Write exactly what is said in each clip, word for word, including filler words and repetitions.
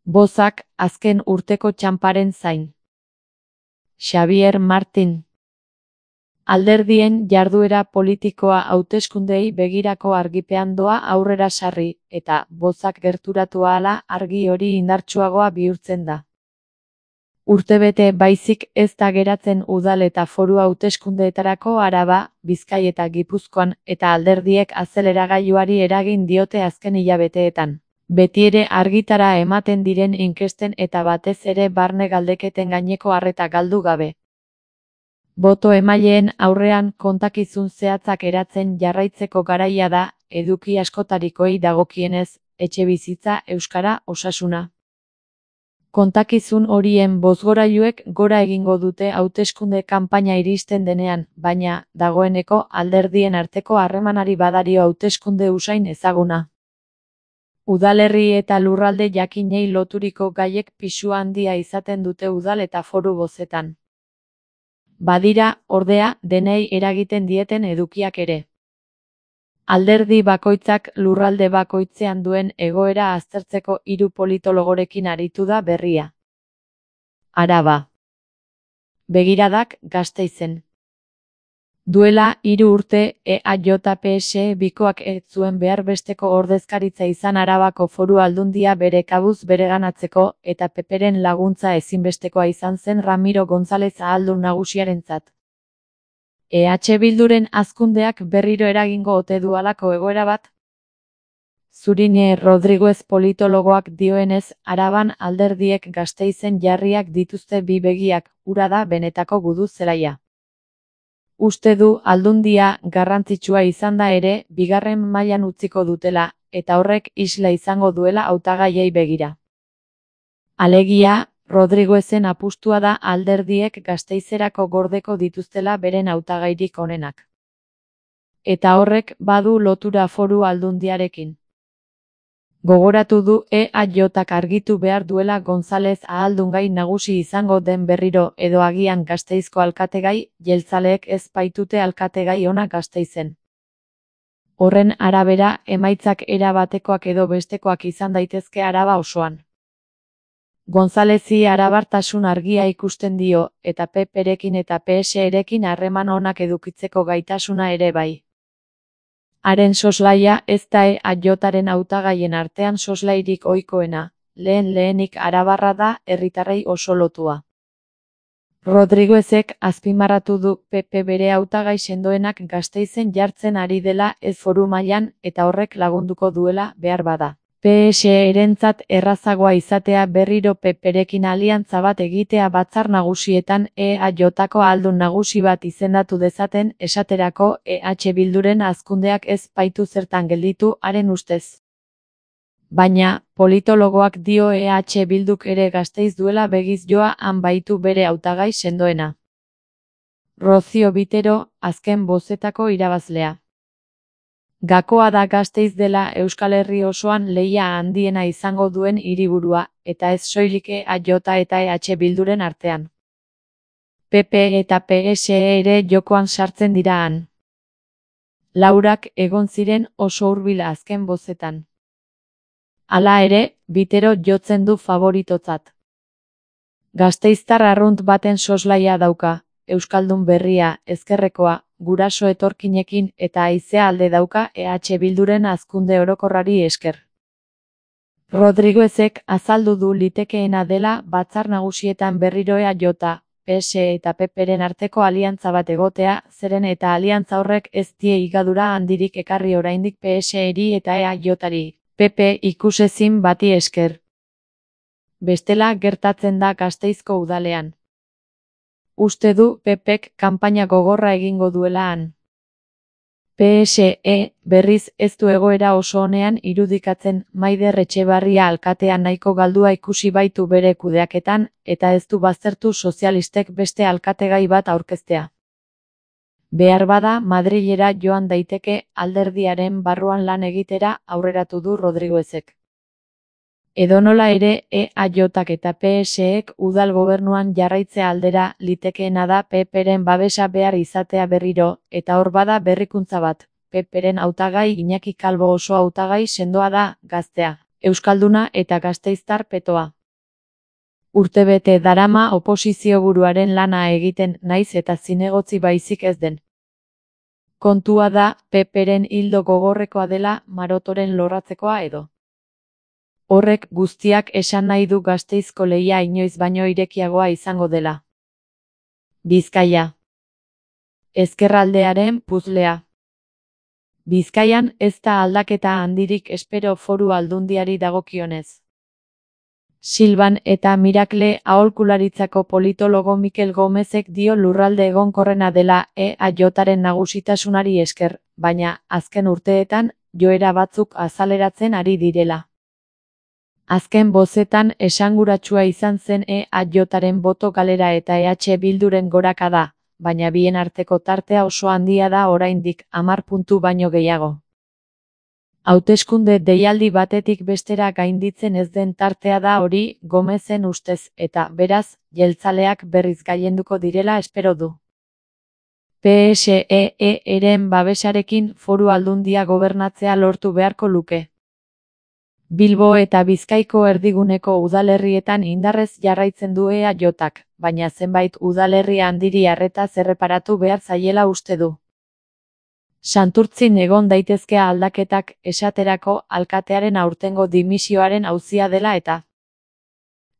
Bozak azken urteko txanparen zain. Xabier Martin. Alderdien jarduera politikoa hauteskundeei begirako argipean doa aurrera sarri, eta bozak gerturatu ahala argi hori indartsuagoa bihurtzen da. Urtebete baizik ez da geratzen udal eta foru hauteskundeetarako Araba, Bizkai eta Gipuzkoan, eta alderdiek azeleragailuari eragin diote azken hilabeteetan. Betiere argitara ematen diren inkesten eta batez ere barne galdeketen gaineko arreta galdu gabe. Boto emaileen aurrean kontakizun zehatzak eratzen jarraitzeko garaia da, eduki askotarikoei dagokienez, etxebizitza, euskara, osasuna. Kontakizun horien bozgorailuek gora egingo dute hauteskunde kanpaina iristen denean, baina, dagoeneko alderdien arteko harremanari badario hauteskunde usain ezaguna. Udalerri eta lurralde jakinei loturiko gaiek pisu handia izaten dute udal eta foru bozetan. Badira, ordea, denei eragiten dieten edukiak ere. Alderdi bakoitzak lurralde bakoitzean duen egoera aztertzeko hiru politologorekin aritu da berria. Araba. Begiradak Gasteizen. Duela hiru urte E A J P S E bikoak ez zuen behar besteko ordezkaritza izan Arabako Foru Aldundia bere kabuz bereganatzeko, eta Peperen laguntza ezinbestekoa izan zen Ramiro González ahaldun nagusiarentzat. E H Bilduren hazkundeak berriro eragingo ote du halako egoera bat? Zurine Rodriguez politologoak dioenez, Araban alderdiek Gasteizen jarriak dituzte bi begiak, hura da benetako gudu zelaia. Uste du aldundia garrantzitsua izan da ere, bigarren mailan utziko dutela, eta horrek isla izango duela hautagaiei begira. Alegia, Rodriguezen apustua da alderdiek Gasteizerako gordeko dituztela beren hautagairik onenak. Eta horrek badu lotura foru aldundiarekin. Gogoratu du E A Jak argitu behar duela González ahaldungai nagusi izango den berriro edo agian Gasteizko alkategai, jeltzaleek ez baitute alkategai ona Gasteizen. Horren arabera, emaitzak era batekoak edo bestekoak izan daitezke Araba osoan. Gonzálezi arabartasun argia ikusten dio, eta Peperekin eta P S erekin harreman onak edukitzeko gaitasuna ere bai. Haren soslaia ez da E A Jaren hautagaien artean soslairik ohikoena, lehen lehenik arabarra da, herritarrei oso lotua. Rodriguezek azpimarratu du P P bere hautagai sendoenak Gasteizen jartzen ari dela ez foru mailan, eta horrek lagunduko duela behar bada. P S erentzat errazagoa izatea berriro Peperekin aliantza bat egitea batzar nagusietan E A Jko ahaldun nagusi bat izendatu dezaten, esaterako E H Bilduren hazkundeak ez baitu zertan gelditu haren ustez. Baina, politologoak dio E H Bilduk ere Gasteiz duela begiz joa han baitu bere hautagai sendoena. Rocío Vitero, azken bozetako irabazlea. Gakoa da Gasteiz dela Euskal Herri osoan lehia handiena izango duen hiriburua, eta ez soilik E A J eta E H Bilduren artean. P P eta P S E ere jokoan sartzen dira han. Laurak egon ziren oso hurbil azken bozetan. Hala ere, Vitero jotzen du favoritotzat. Gasteiztar arrunt baten soslaia dauka, euskaldun berria, ezkerrekoa, guraso etorkinekin eta haizea alde dauka E H Bilduren hazkunde orokorrari esker. Rodriguezek azaldu du litekeena dela batzar nagusietan berriro E A J, P S eta Peperen arteko aliantza bat egotea, zeren eta aliantza horrek ez die higadura handirik ekarri oraindik P S eri eta E A Jari, P P ikusezin bati esker. Bestela gertatzen da Gasteizko udalean. Uste du P Pek kanpaina gogorra egingo duela han. P S E, berriz ez du egoera oso onean irudikatzen, Maider Etxebarria alkatea nahiko galdua ikusi baitu bere kudeaketan, eta ez du baztertu sozialistek beste alkategai bat aurkeztea. Behar bada Madrilera joan daiteke alderdiaren barruan lan egitera aurreratu du Rodriguezek. Edonola ere, E A Jak eta P S Ek udal gobernuan jarraitzea aldera litekeena da Peperen babesa behar izatea berriro, eta hor bada berrikuntza bat, Peperen hautagai Iñaki Calvo oso hautagai sendoa da, gaztea, euskalduna eta gasteiztar petoa. Urtebete darama oposizioburuaren lana egiten naiz eta zinegotzi baizik ez den. Kontua da, P Pren hildo gogorrekoa dela marotoren lorratzekoa edo. Horrek guztiak esan nahi du Gasteizko lehia inoiz baino irekiagoa izango dela. Bizkaia. Ezkerraldearen puzlea. Bizkaian ez da aldaketa handirik espero Foru Aldundiari dagokionez. Silban eta Mirakle aholkularitzako politologo Mikel Gomezek dio lurralde egonkorrena dela E A Jaren nagusitasunari esker, baina azken urteetan joera batzuk azaleratzen ari direla. Azken bozetan esanguratsua izan zen E A Jaren boto galera eta E H Bilduren gorakada, baina bien arteko tartea oso handia da oraindik, hamar puntu baino gehiago. Hauteskunde deialdi batetik bestera gainditzen ez den tartea da hori, Gomezen ustez, eta, beraz, jeltzaleak berriz gailenduko direla espero du. P S E eren babesarekin Foru Aldundia gobernatzea lortu beharko luke. Bilbo eta Bizkaiko erdiguneko udalerrietan indarrez jarraitzen du E A Jak, baina zenbait udalerri handiri arretaz erreparatu behar zaiela uste du. Santurtzin egon daitezke aldaketak, esaterako alkatearen aurtengo dimisioaren auzia dela eta.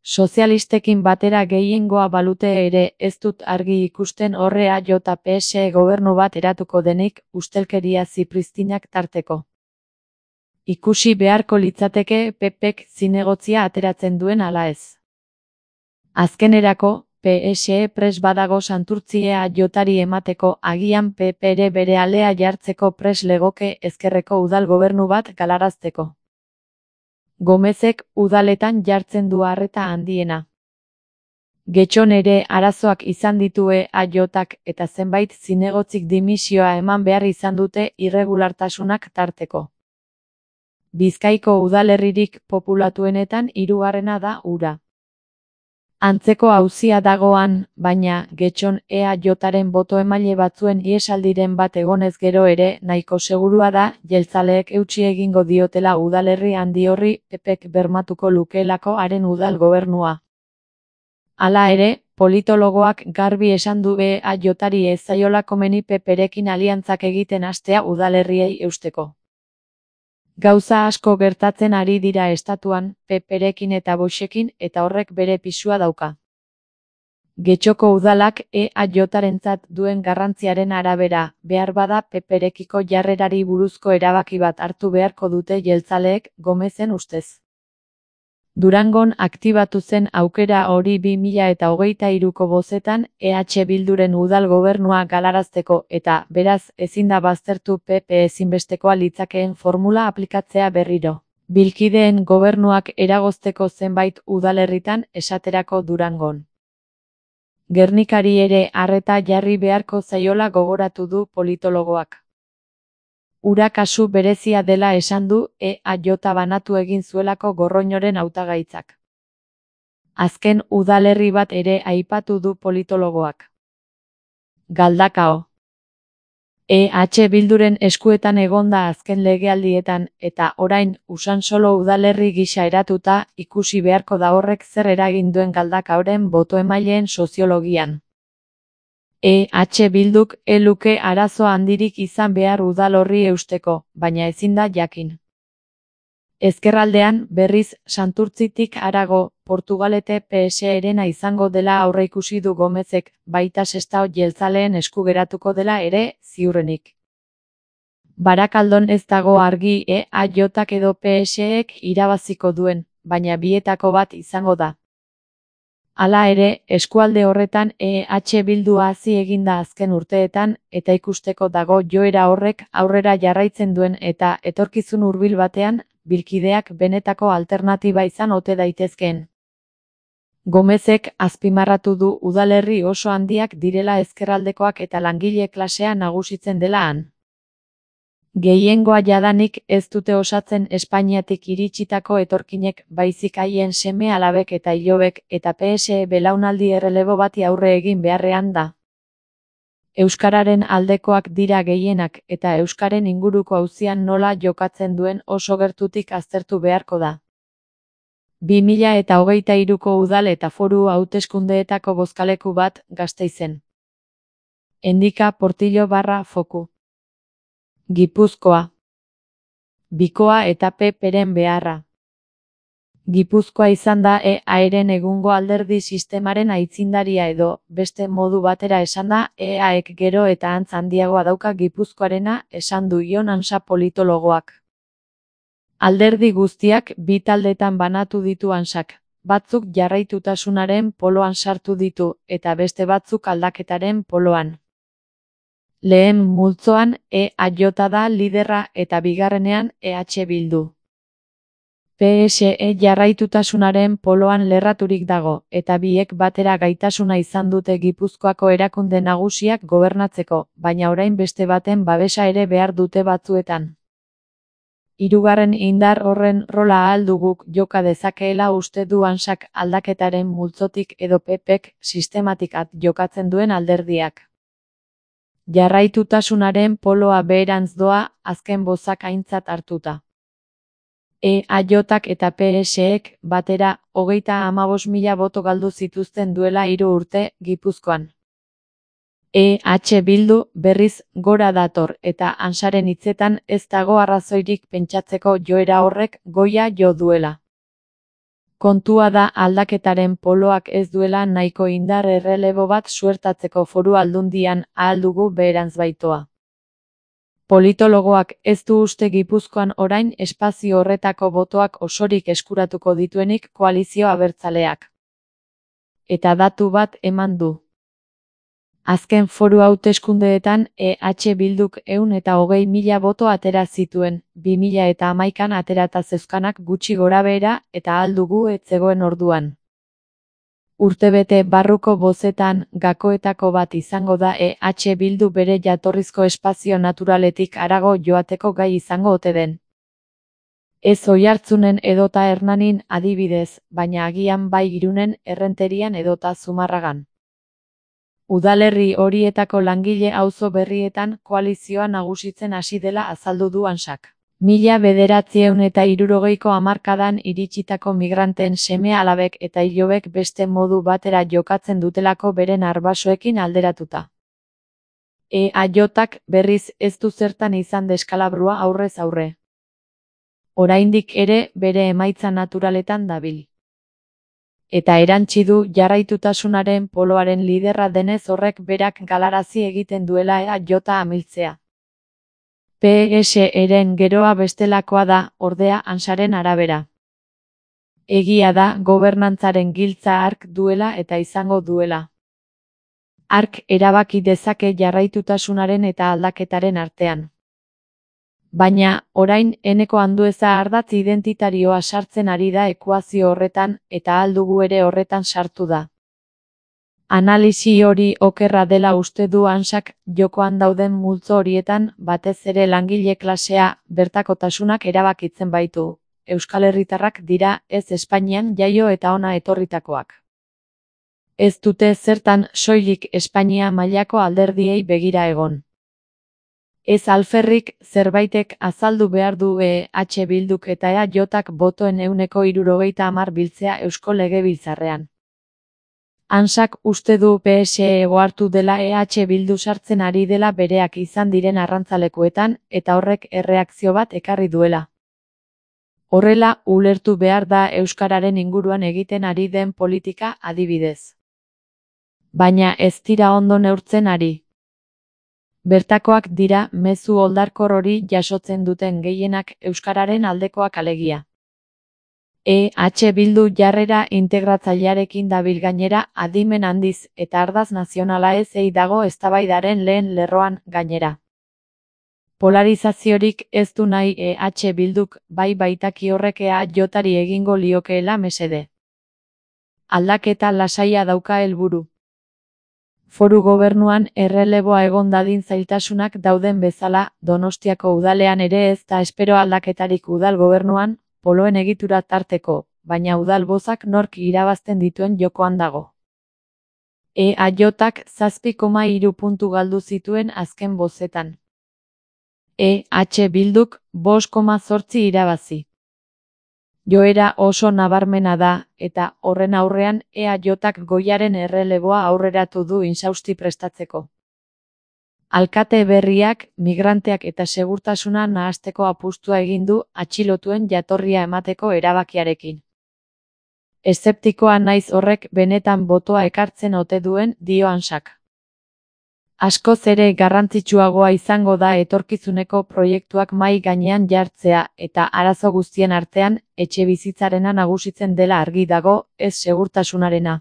Sozialistekin batera gehiengoa balute ere ez dut argi ikusten horre E A J P S E gobernu bat eratuko denik, ustelkeria zipristinak tarteko. Ikusi beharko litzateke P Pek zinegotzia ateratzen duen ala ez. Azkenerako, P S E pres badago Santurtzi E A Jari emateko, agian P P ere bere alea jartzeko pres legoke ezkerreko udal gobernu bat galarazteko. Gomezek udaletan jartzen du arreta handiena. Getxon ere arazoak izan ditu E A Jak eta zenbait zinegotzik dimisioa eman behar izan dute irregulartasunak tarteko. Bizkaiko udalerririk populatuenetan hirugarrena da Ura. Antzeko auzia dagoan, baina, Getxon E A Jaren boto emaile batzuen iesaldiren bat egonez gero ere nahiko segurua da, jeltzaleek eutsi egingo diotela udalerri handi horri P Pek bermatuko lukeelako haren udal gobernua. Hala ere, politologoak garbi esan du E A Jari ez zaiola komeni P Perekin aliantzak egiten hastea udalerriei eusteko. Gauza asko gertatzen ari dira estatuan, P Perekin eta Voxekin eta horrek bere pisua dauka. Getxoko udalak E A Jarentzat duen garrantziaren arabera, behar bada P Perekiko jarrerari buruzko erabaki bat hartu beharko dute jeltzaleek, Gomezen ustez. Durangon aktibatu zen aukera hori bi mila eta hogeita hiruko bozetan E H Bilduren udal gobernua galarazteko eta, beraz, ezin da baztertu P P ezinbestekoa litzakeen formula aplikatzea berriro. Bilkideen gobernuak eragozteko zenbait udalerritan esaterako Durangon. Gernikari ere arreta jarri beharko zaiola gogoratu du politologoak. Ura kasu berezia dela esan du E A J banatu egin zuelako Gorroñoren hautagaitzak. Azken udalerri bat ere aipatu du politologoak. Galdakao. E H Bilduren eskuetan egonda azken legealdietan eta orain Usansolo udalerri gisa eratuta ikusi beharko da horrek zer eragin duen Galdakaoren boto emaileen soziologian. E H Bilduk ez luke arazo handirik izan behar udal horri eusteko, baina ezin da jakin. Ezkerraldean, berriz, Santurtzitik harago, Portugalete P S erena izango dela aurreikusi du Gomezek, baita Sestao jeltzaleen esku geratuko dela ere, ziurrenik. Barakaldon ez dago argi E A Jak edo P S ek irabaziko duen, baina bietako bat izango da. Hala ere, eskualde horretan E H Bildu hazi eginda azken urteetan, eta ikusteko dago joera horrek aurrera jarraitzen duen eta etorkizun hurbil batean, bilkideak benetako alternatiba izan ote daitezkeen. Gomezek azpimarratu du udalerri oso handiak direla ezkerraldekoak eta langile klasea nagusitzen dela han. Gehiengoa jadanik ez dute osatzen Espainiatik iritsitako etorkinek baizik haien seme alabek eta ilobek eta P S E belaunaldi errelebo bati aurre egin beharrean da. Euskararen aldekoak dira gehienak eta euskaren inguruko auzian nola jokatzen duen oso gertutik aztertu beharko da. bi mila eta hogeita hiruko udal eta foru hauteskundeetako bozkaleku bat Gasteizen. Endika Portillo barra Foku. Gipuzkoa. Bikoa eta P Peren beharra. Gipuzkoa izan da E A-ren egungo alderdi sistemaren aitzindaria edo, beste modu batera esanda, E A-ek gero eta antz handiagoa dauka Gipuzkoarena, esan du Jon Ansa politologoak. Alderdi guztiak bi taldetan banatu ditu Ansak, batzuk jarraitutasunaren poloan sartu ditu, eta beste batzuk aldaketaren poloan. Lehen multzoan E A J da liderra eta bigarrenean E H Bildu. P S E jarraitutasunaren poloan lerraturik dago, eta biek batera gaitasuna izan dute Gipuzkoako erakunde nagusiak gobernatzeko, baina orain beste baten babesa ere behar dute batzuetan. Hirugarren indar horren rola ahal duguk joka dezakeela uste du Ansak aldaketaren multzotik edo P Pek sistematik at jokatzen duen alderdiak. Jarraitutasunaren poloa beherantz doa, azken bozak aintzat hartuta. E A Jak eta P S ek batera hogeita hamabost mila boto galdu zituzten duela hiru urte Gipuzkoan. E H Bildu berriz gora dator eta Ansaren hitzetan ez dago arrazoirik pentsatzeko joera horrek goia jo duela. Kontua da aldaketaren poloak ez duela nahiko indar errelebo bat suertatzeko foru aldundian ahal dugu beherantz baitoa. Politologoak ez du uste Gipuzkoan orain espazio horretako botoak osorik eskuratuko dituenik koalizio abertzaleak. Eta datu bat eman du. Azken foru hauteskundeetan E H Bilduk ehun eta hogei mila boto atera zituen, bi mila eta hamaikan aterata zeuzkanak gutxi gorabehera eta ahal dugu ez zegoen orduan. Urtebete barruko bozetan gakoetako bat izango da E H Bildu bere jatorrizko espazio naturaletik harago joateko gai izango ote den. Ez Oiartzunen edota Hernanin adibidez, baina agian bai Irunen, Errenterian edota Zumarragan. Udalerri horietako langile auzo berrietan koalizioa nagusitzen hasi dela azaldu du Ansak. Mila bederatziehun eta hirurogeiko hamarkadan iritsitako migranteen seme-alabek eta ilobek beste modu batera jokatzen dutelako beren arbasoekin alderatuta. E A Jak berriz ez du zertan izan deskalabrua aurrez aurre. Oraindik ere bere emaitza naturaletan dabil. Eta erantsi du jarraitutasunaren poloaren liderra denez horrek berak galarazi egiten duela E A J amiltzea. P S eren geroa bestelakoa da, ordea Ansaren arabera. Egia da gobernantzaren giltza hark duela eta izango duela. Hark erabaki dezake jarraitutasunaren eta aldaketaren artean. Baina, orain eneko andueza ardatz identitarioa sartzen ari da ekuazio horretan eta ahal dugu ere horretan sartu da. Analisi hori okerra dela uste du Ansak jokoan dauden multzo horietan batez ere langile klasea bertakotasunak erabakitzen baitu. Euskal Herritarrak dira ez Espainian jaio eta hona etorritakoak. Ez dute zertan soilik Espainia mailako alderdiei begira egon. Ez alferrik zerbaitek azaldu behar du E H Bilduk eta E A Jak botoen ehuneko hirurogeita hamar biltzea Eusko Legebiltzarrean. Ansak uste du P S E ohartu dela E H Bildu sartzen ari dela bereak izan diren arrantzalekuetan eta horrek erreakzio bat ekarri duela. Horrela, ulertu behar da euskararen inguruan egiten ari den politika adibidez. Baina ez dira ondo neurtzen ari. Bertakoak dira mezu oldarkor hori jasotzen duten gehienak euskararen aldekoak alegia. E H Bildu jarrera integratzailearekin dabil gainera adimen handiz eta ardaz nazionala ez ei dago eztabaidaren lehen lerroan gainera. Polarizaziorik ez du nahi E H Bilduk bai baitaki horrek E A Jari egingo liokeela mesede. Aldaketa lasaia dauka helburu. Foru gobernuan erreleboa egon dadin zailtasunak dauden bezala, Donostiako udalean ere ez da espero aldaketarik udal gobernuan, poloen egitura tarteko, baina udal bozak nork irabazten dituen jokoan dago. E A Jak zazpi koma hiru puntu galdu zituen azken bozetan. E H Bilduk bost koma zortzi irabazi. Joera oso nabarmena da, eta horren aurrean E A Jk goiaren erreleboa aurreratu du insausti prestatzeko. Alkate berriak, migranteak eta segurtasuna nahasteko apustua egin du atxilotuen jatorria emateko erabakiarekin. Eszeptikoa naiz horrek benetan botoa ekartzen ote duen, dio Ansak. Askoz ere garrantzitsuagoa izango da etorkizuneko proiektuak mahai gainean jartzea eta arazo guztien artean etxebizitzarena nagusitzen dela argi dago, ez segurtasunarena.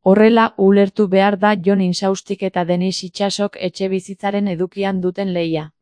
Horrela ulertu behar da Jon Insaustik eta Denis Itsasok etxebizitzaren edukian duten lehia.